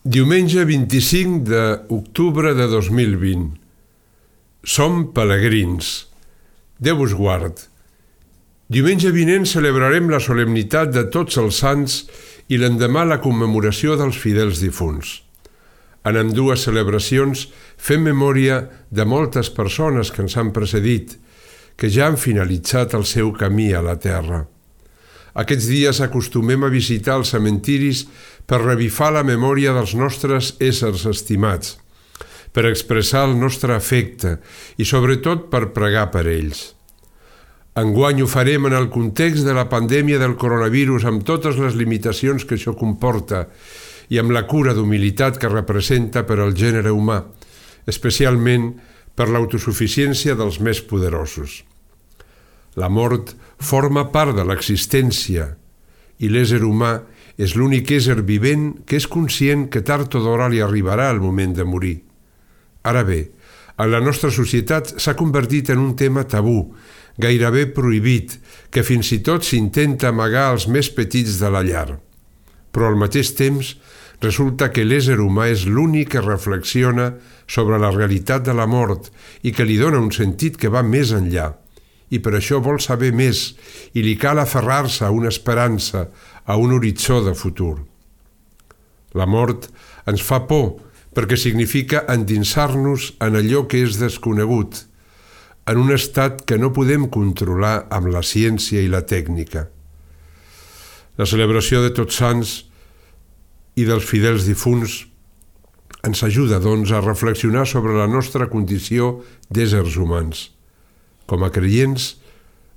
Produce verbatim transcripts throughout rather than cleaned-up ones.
Diumenge vint-i-cinc d'octubre de dos mil vint. Som pelegrins. Déu us guard. Diumenge vinent celebrarem la solemnitat de Tots els Sants i l'endemà la commemoració dels fidels difunts. En ambdues celebracions fem memòria de moltes persones que ens han precedit, que ja han finalitzat el seu camí a la terra. Aquests dies acostumem a visitar els cementiris per revifar la memòria dels nostres éssers estimats, per expressar el nostre afecte i sobretot per pregar per ells. Enguany ho farem en el context de la pandèmia del coronavirus amb totes les limitacions que això comporta i amb la cura d'humilitat que representa per al gènere humà, especialment per l'autosuficiència dels més poderosos. La mort forma part de l'existència i l'ésser humà és l'únic ésser vivent que és conscient que tard o d'hora li arribarà el moment de morir. Ara bé, en la nostra societat s'ha convertit en un tema tabú, gairebé prohibit, que fins i tot s'intenta amagar als més petits de la llar. Però al mateix temps resulta que l'ésser humà és l'únic que reflexiona sobre la realitat de la mort i que li dona un sentit que va més enllà. I per això vol saber més i li cal aferrar-se a una esperança, a un horitzó de futur. La mort ens fa por perquè significa endinsar-nos en allò que és desconegut, en un estat que no podem controlar amb la ciència i la tècnica. La celebració de Tots Sants i dels fidels difunts ens ajuda, doncs, a reflexionar sobre la nostra condició d'éssers humans. Com a creients,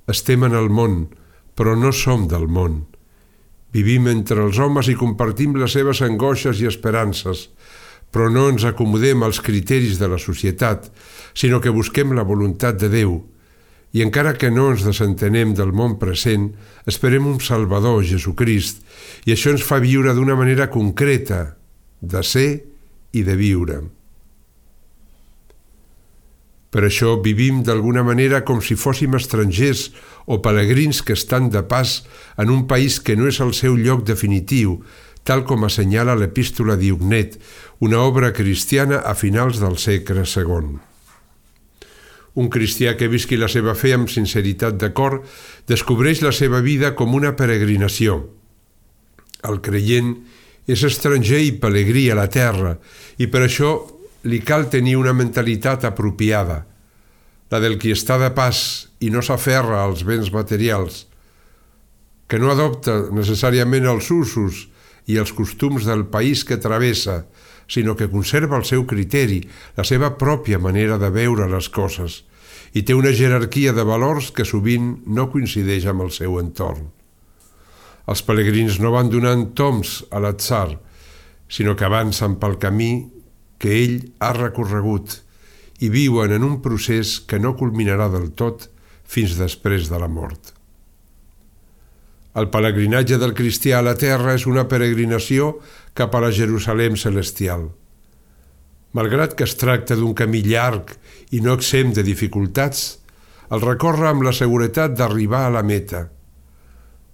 estem en el món, però no som del món. Vivim entre els homes i compartim les seves angoixes i esperances, però no ens acomodem als criteris de la societat, sinó que busquem la voluntat de Déu. I encara que no ens desentenem del món present, esperem un Salvador, Jesucrist, i això ens fa viure d'una manera concreta, de ser i de viure. Per això vivim d'alguna manera com si fóssim estrangers o pelegrins que estan de pas en un país que no és el seu lloc definitiu, tal com assenyala l'Epístola d'Iugnet, una obra cristiana a finals del segle segon. Un cristià que visqui la seva fe amb sinceritat de cor descobreix la seva vida com una peregrinació. El creient és estranger i pelegrí a la terra i per això li cal tenir una mentalitat apropiada, la del qui està de pas i no s'aferra als béns materials, que no adopta necessàriament els usos i els costums del país que travessa, sinó que conserva el seu criteri, la seva pròpia manera de veure les coses, i té una jerarquia de valors que sovint no coincideix amb el seu entorn. Els pelegrins no van donant toms a l'atzar, sinó que avancen pel camí que ell ha recorregut i viuen en un procés que no culminarà del tot fins després de la mort. El pelegrinatge del cristià a la terra és una peregrinació cap a la Jerusalem celestial. Malgrat que es tracta d'un camí llarg i no exempt de dificultats, el recorre amb la seguretat d'arribar a la meta.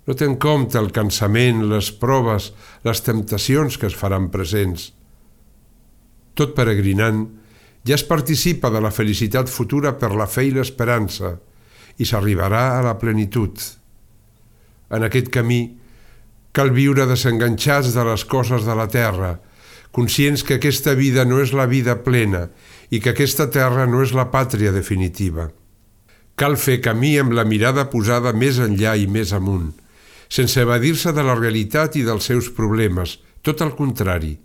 No té en compte el cansament, les proves, les temptacions que es faran presents. Tot peregrinant, ja es participa de la felicitat futura per la fe i l'esperança i s'arribarà a la plenitud. En aquest camí cal viure desenganxats de les coses de la terra, conscients que aquesta vida no és la vida plena i que aquesta terra no és la pàtria definitiva. Cal fer camí amb la mirada posada més enllà i més amunt, sense evadir-se de la realitat i dels seus problemes, tot el contrari.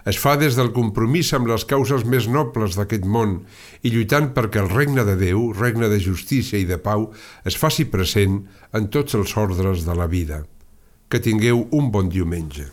Es fa des del compromís amb les causes més nobles d'aquest món i lluitant perquè el regne de Déu, regne de justícia i de pau, es faci present en tots els ordres de la vida. Que tingueu un bon diumenge.